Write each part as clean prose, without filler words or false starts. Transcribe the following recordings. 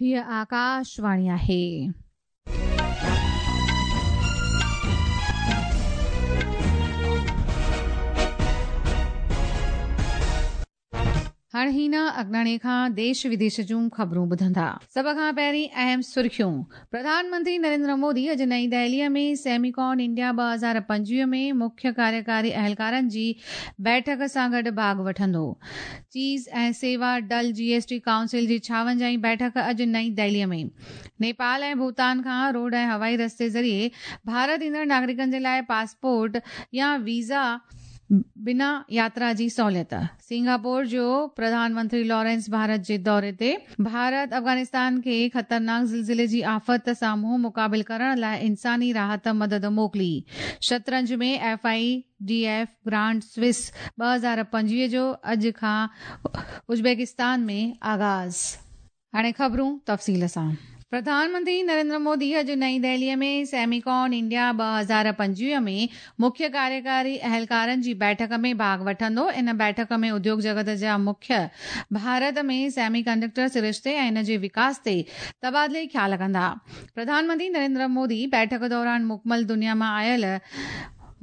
هيء آڪاشواڻي آهي. هاڻ هينا اگناڻي کان ديش وديش جون خبرون ٻڌندا. سڀ کان پهرين اهم سرخيون، پرڌان منتري نريندر مودي اڄ نئين دهليء ۾ سيميڪان انڊيا 2025 ۾ مکيه ڪاريڪاري اهلڪارن جي بيٺڪ سان گڏ ڀاڳ وٺندو. چيز ۽ سيوا ڊل جي ايس ٽي ڪائونسل جي ڇاونجاهين بيٺڪ اڄ نئين دهليء ۾. نيپال ۽ ڀوتان کان روڊ ۽ هوائي رستي ذريعي ڀارت ايندڙ ناگرڪن جي لاء پاسپورٽ يا ويزا بنا ياترا جي سهوليت. سنگاپور جو پرڌان منتري لارنس ڀارت جي دوري تي. ڀارت افغانستان کي خطرناڪ زلزلي جي آفت سان منهن مقابل ڪرڻ لاء انساني راحت مدد موڪلي. شطرنج ۾ F I D F grand Swiss 2025 جو اڄ کان ازبڪستان ۾ آغاز. هاڻي خبرون تفصيل سان. پرڌان منتري نريندر مودي اڄ نئين دهليء ۾ سيميڪان انڊيا 2025 ۾ مکيه ڪاريڪاري اهلڪارن جي بيٺڪ ۾ ڀاڳ وٺندو. ان بيٺڪ ۾ اديوڳ جڳت جا مکيه ڀارت ۾ سيمي ڪنڊڪٽر سرشتي ۽ ان جي وڪاس تي تبادلي خيال ڪندا. پرڌان منتري نريندر مودي بيٺڪ دوران مڪمل دنيا مان آيل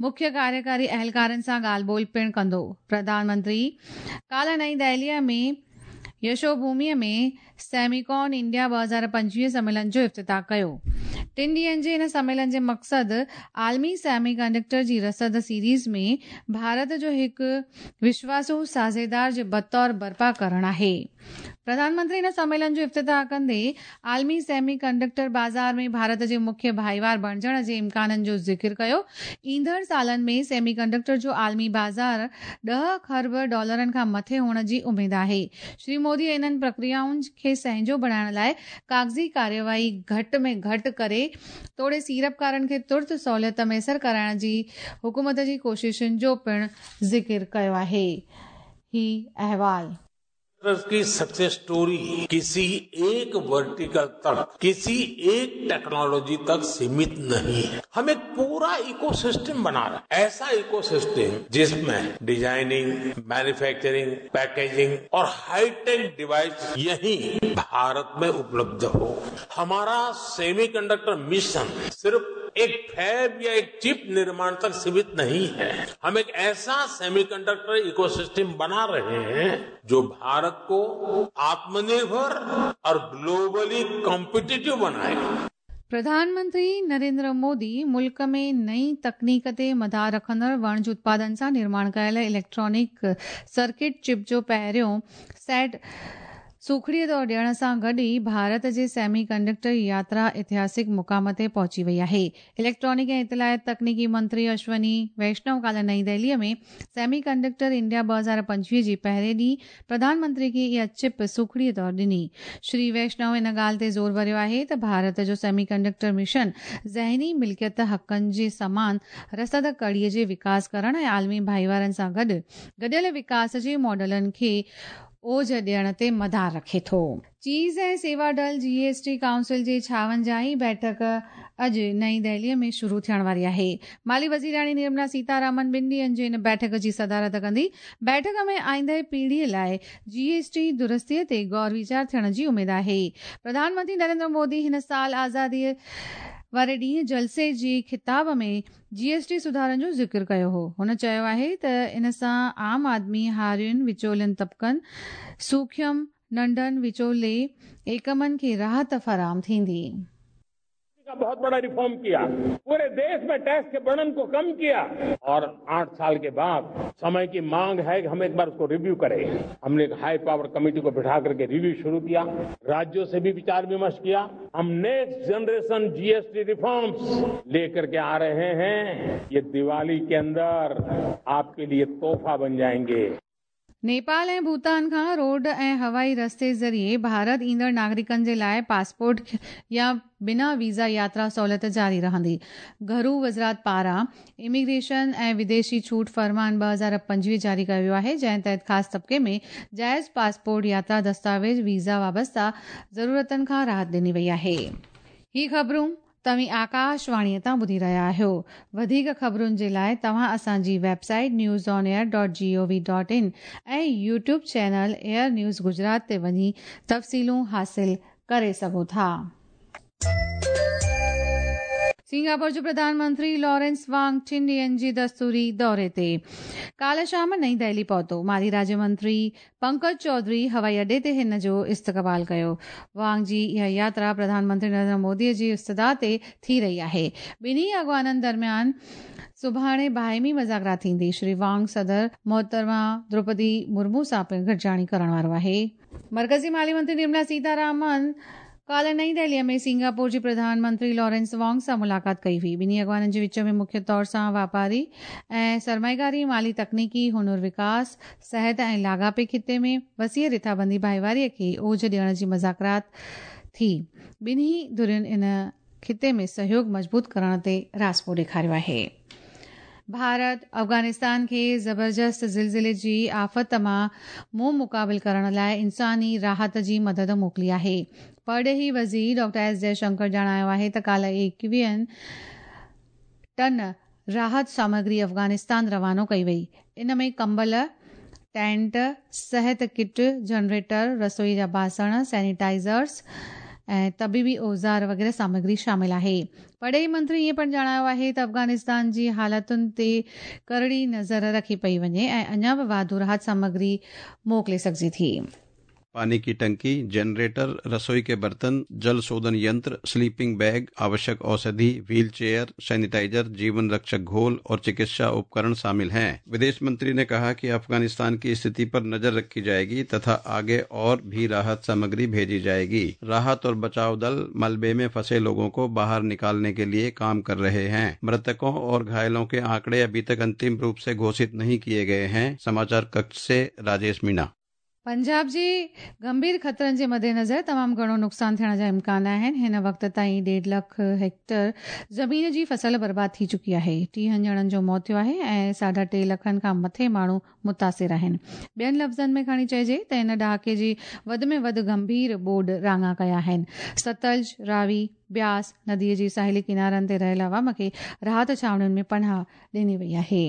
مکيه ڪاريڪاري اهلڪارن سان ڳالهه ٻولهه پڻ ڪندو. پرڌان منتري ڪالهه نئين دهليء ۾ يشو ڀوميء ۾ سيميڪان انڊيا 2025 سميلن جو افتتاح ڪيو. ٽن ڏينهن جي ان سميلن جي مقصد عالمي سيمي ڪنڊڪٽر جي رسد سيريز ۾ ڀارت جو هڪ وشواسو ساझيدار جي بطور برپا ڪرڻ آهي. پرڌان منتري ان سميلن جو افتتاح ڪندي عالمي سيمي ڪنڊڪٽر بازار ۾ ڀارت جي مکيه ڀائيوار بڻجڻ جي امڪانن جو ذڪر ڪيو. ايندڙ سالن ۾ سيمي ڪنڊڪٽر جو عالمي بازار ڏهه کرب ڊالرن کان مٿي هئڻ جي اميد آهي. شري مودي انهن پرڪريائن کي سهنجو بڻائڻ لاء ڪاغذي ڪارروائي گهٽ ۾ گهٽ ڪري توڙي سيڙپڪارن کي ترت سهوليت ميسر ڪرائڻ جي حڪومت جي ڪوششن جو پڻ ذڪر ڪيو آهي. هي احوال. की सक्सेस स्टोरी किसी एक वर्टिकल तक, किसी एक टेक्नोलॉजी तक सीमित नहीं है। हम एक पूरा इकोसिस्टम बना रहे हैं, ऐसा इकोसिस्टम जिसमें डिजाइनिंग, मैन्युफैक्चरिंग, पैकेजिंग और हाईटेक डिवाइस यहीं भारत में उपलब्ध हो। हमारा सेमीकंडक्टर मिशन सिर्फ एक फैब या एक चिप निर्माण तक सीमित नहीं है। हम एक ऐसा सेमीकंडक्टर इकोसिस्टम बना रहे हैं जो भारत को आत्मनिर्भर और ग्लोबली कॉम्पिटिटिव बनाए। پرڌان منتري نريندر مودي ملڪ ۾ نئين تڪنيڪ تي مدار رکندڙ وڻج اتپادن سان نرماڻ ڪيل اليڪٽرانڪ سرڪٽ چپ جو پهريون سيٽ سوکڙيء طور ڏيڻ سان گڏ ئي ڀارت جي سيمي ڪنڊڪٽر ياترا اتهاسڪ مقام تي پهچي وئي آهي. اليڪٽرانڪ ۽ اطلاعات تڪنيڪي منتري اشوني ويشنو ڪالهه نئين دهليء ۾ سيمي ڪنڊڪٽر انڊيا 2025 جي پهرين ڏينهن پرڌان منتري کي اها چپ سوکڙيء طور ڏني. شري ويشنو ان ڳالهه تي زور ڀريو آهي ته ڀارت جو سيمي ڪنڊڪٽر مشن ذهني ملڪيت حقن جي سمان رسد ڪڙيء جي وڪاس ڪرڻ ۽ عالمي ڀائيوارن سان گڏ گڏيل وڪاس جي ماڊلن کي اوج ڏيڻ تي مدار رکي ٿو. چيز ۽ سيوا ڊل جي ايس ٽي ڪائونسل جي ڇاونجاهين بيٺڪ اڄ نئين دهليء ۾ شروع ٿيڻ واري آهي. مالي وزيراڻي نرملا سيتارامن ٻن ڏينهن جي ان بيٺڪ جي صدارت ڪندي. بيٺڪ ۾ آئنده پيڙهيء لاء جي ايس ٽي درستيء تي غور ويچار ٿيڻ جي اميد آهي. پرڌان منتري نريندر مودي هن سال آزاديء واري ڏينهن جلسي جي خطاب ۾ جي ايس ٽي سڌارن جو ذڪر ڪيو هو. هن چيو آهي ته ان سان عام آدمي، هارين، وچولين طبقن، سوکيم، ننڍن، وچولي ايڪمن کي راحت فراهم ٿيندي. का बहुत बड़ा रिफॉर्म किया, पूरे देश में टैक्स के बर्डन को कम किया और 8 साल के बाद समय की मांग है कि हम एक बार उसको रिव्यू करें। हमने एक हाई पावर कमेटी को बिठा करके रिव्यू शुरू किया, राज्यों से भी विचार विमर्श किया। हम नेक्स्ट जनरेशन जीएसटी रिफॉर्म्स लेकर के आ रहे हैं। ये दिवाली के अंदर आपके लिए तोहफा बन जाएंगे। نيپال ۽ ڀوتان کان روڊ ۽ هوائي رستي ذريعي ڀارت ايندڙ ناگرڪن جي لاء پاسپورٽ يا بنا ويزا ياترا سهولت جاري رهندي. گهرو وزارت پاران اميگريشن ۽ وديشي ڇوٽ فرمان 2025 جاري ڪيو ويو آهي، جنهن تحت خاص طبقي ۾ جائز پاسپورٽ، ياترا دستاويز، ويزا وابسته ضرورتن کان راحت ڏني وئي آهي. هي خبرون توهين آڪاش واڻيء تان ٻڌي رهيا آهيو. وڌيڪ خبرن جي لاء توهان اسان جي website news on air dot G O V dot in ۽ YouTube channel air news Gujarat تي وڃي تفصيلون حاصل ڪري سگهو ٿا. سنگاپور جو پرڌان منتري لارنس وانگ ٽن ڏينهن جي دستوري دوري تي ڪالهه شام نئين دهلي پهتو. مالي راڄ منتري پنڪج چوڌري هوائي اڏي تي هن جو استقبال ڪيو. وانگ جي اها ياترا پرڌان منتري نريندر مودي جي استدعا تي ٿي رهي آهي. ٻنهي اڳواڻن درميان سڀاڻي باهمي مذاڪرات ٿيندي. شري وانگ صدر محترمه دروپدي مرمو سان پڻ گڏجاڻي ڪرڻ وارو آهي. مرڪزي مالي منتري نرملا سيتارامن ڪالهه نئين دهلي ۾ سنگاپور جي پرڌان منتري لارنس وانگ سان ملاقات ڪئي هئي. ٻنهي اڳواڻن جي وچ ۾ مکيه طور سان واپاري ۽ سرمائيڪاري، مالي تڪنيڪي، هنر وڪاس، صحت ۽ لاڳاپي خطي ۾ وسيع رٿابندي ڀائيواري کي اوج ڏيڻ جي مذاڪرات ٿي. ٻنهي ڌرين ان خطي ۾ سهيوڳ مضبوط ڪرڻ تي راضپو ڏيکاريو آهي. ڀارت افغانستان کي زبردست زلزلي جي آفت مان منهن مقابل ڪرڻ لاء انساني راحت جي مدد موڪلي آهي. پرڏيهي وزير ڊاڪٽر ايس جئشنڪر ڄاڻايو آهي ته ڪالهه ايڪويهن ٽن راحت سامگري افغانستان روانو ڪئي وئي. ان ۾ ڪمبل، ٽينٽ، صحت ڪٽ، جنريٽر، رسوئي جا باسڻ، سينيٽائزرز ۽ طبيبي اوزار وغيره سامگري شامل آهي. پرڏيهي منتري ائين پڻ ڄاڻايو آهي ته افغانستان جي حالتن تي ڪرڙي نظر رکي پئي وڃي ۽ اڃا به واڌو راحت سامگري موڪلي سگهجي ٿي. पानी की टंकी, जनरेटर, रसोई के बर्तन, जल शोधन यंत्र, स्लीपिंग बैग, आवश्यक औषधि, व्हील चेयर, सैनिटाइजर, जीवन रक्षक घोल और चिकित्सा उपकरण शामिल हैं। विदेश मंत्री ने कहा कि अफगानिस्तान की स्थिति पर नजर रखी जाएगी तथा आगे और भी राहत सामग्री भेजी जाएगी। राहत और बचाव दल मलबे में फंसे लोगों को बाहर निकालने के लिए काम कर रहे हैं। मृतकों और घायलों के आंकड़े अभी तक अंतिम रूप से घोषित नहीं किए गए हैं। समाचार कक्ष से राजेश मीणा। पंजाब जे गंभीर ख़तरनि जे मद्देनज़र तमामु घणो नुक़सानु थियण जा इम्कान आहिनि। हिन वक़्त ताईं 1.5 लख हेक्टर ज़मीन जी फसल बर्बाद थी चुकी आहे। 30 ॼणनि जो मौत थियो आहे ऐं 3.5 लखनि खां मथे माण्हू मुतासिर आहिनि। ॿियनि लफ़्ज़नि में खणी चइजे त हिन ॾहाके जी वधि में वधि गंभीर ॿोॾ राङा कया आहिनि। सतलज, रावी, ब्यास नदीअ जी साहिली किनारनि ते रहियल अवाम खे राहत छावणियुनि में पनाह ॾिनी वई आहे।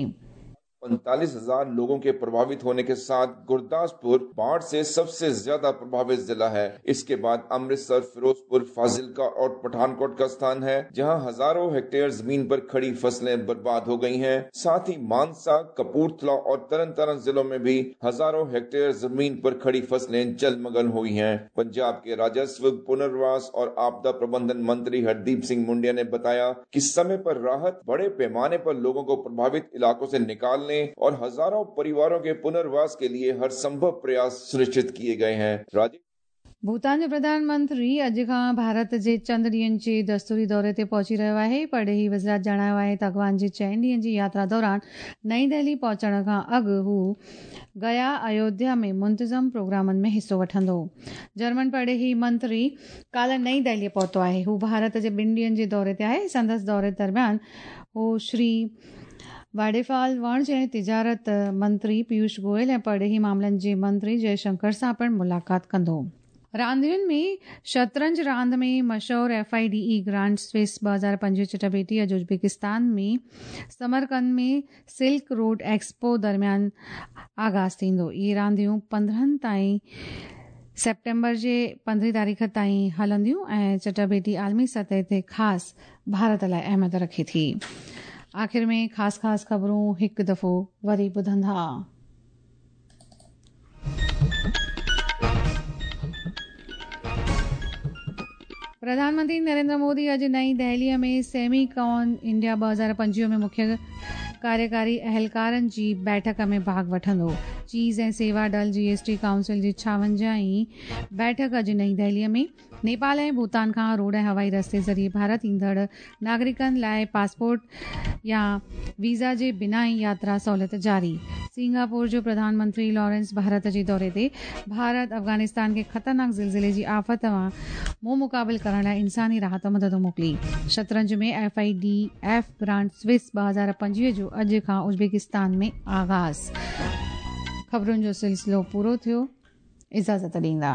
45,000 लोगों के प्रभावित होने के साथ गुरदासपुर बाढ़ से सबसे ज्यादा प्रभावित जिला है। इसके बाद अमृतसर, फिरोजपुर, फाजिल्का और पठानकोट का स्थान है, जहां हजारों हेक्टेयर जमीन पर खड़ी फसलें बर्बाद हो गई हैं। साथ ही मानसा, कपूरथला और तरन जिलों में भी हजारों हेक्टेयर जमीन पर खड़ी फसलें जलमग्न हुई हैं। पंजाब के राजस्व, पुनर्वास और आपदा प्रबंधन मंत्री हरदीप सिंह मुंडिया ने बताया कि समय पर राहत, बड़े पैमाने पर लोगों को प्रभावित इलाकों से निकालने और हजारों परिवारों के पुनर्वास के लिए हर संभव प्रयास सुनिश्चित किए गए हैं। भूटान जो प्रधानमंत्री अॼु खां भारत जे चंद ॾींहनि जे दस्तूरी दौरे ते पहुची रहियो आहे। परॾेही वज़ारत ॼाणायो आहे त अॻवान जी 4 ॾींहनि जी यात्रा दौरान नई दिल्ली पहुचण खां अॻु हू गया, अयोध्या में मुंतज़म प्रोग्रामनि में हिसो वठंदो। जर्मन परॾेही मंत्री काल्ह नई दिल्लीअ पहुतो आहे। हू भारत जे 2 ॾींहनि जे दौरे ते आहे। संदसि दौरे दरमियान हू श्री वाडेफाल वाणिज्य ऐं तिजारत मंत्री पीयूष गोयल ऐं परॾेही मामलनि जे मंत्री जयशंकर सां पिणु मुलाक़ात कंदो। रांदियुनि में शतरंज रांदि में मशहूर FIDE grand Swiss 2025 चिटभेटी अॼु उज़्बेकिस्तान में समरकंद में सिल्क रोड एक्सपो दरमियान आगाज़ थींदो। इहे रांदियूं 15 ताईं सेप्टेम्बर जे 15 तारीख़ ताईं हलंदियूं ऐं चटभेटी आलमी सतह ते ख़ासि भारत लाइ अहमियत रखे थी। आख़िर में ख़ासि ख़ासि ख़बरूं हिकु दफ़ो वरी ॿुधंदा। प्रधानमंत्री नरेंद्र मोदी अॼु नई दिल्लीअ में सेमीकॉन इंडिया 2025 में मुख्य कार्यकारी अहलकारनि जी बैठक में भाॻ वठंदो। चीज़ ऐं सेवा डल GST council जी 56वीं बैठक अॼु नई दिल्लीअ में। नेपाल ऐं भूटान खां रोड ऐं हवाई रस्ते ज़रिए भारत ईंदड़ नागरिकनि लाइ पासपोर्ट या वीज़ा जे बिना ई यात्रा सहूलियत जारी। सिंगापुर जो प्रधानमंत्री लॉरेंस भारत जे दौरे ते भारत अफ़गानिस्तान खे ख़तरनाक ज़िलज़िले जी आफ़त मां मुंहुं मुक़ाबिल करण लाइ इंसानी राहत मदद मोकिली। शतरंज में FIDF grand Swiss 2025 जो अॼु खां उज़्बेकिस्तान में आगाज़। ख़बरुनि जो सिलसिलो पूरो थियो। इजाज़त ॾींदा।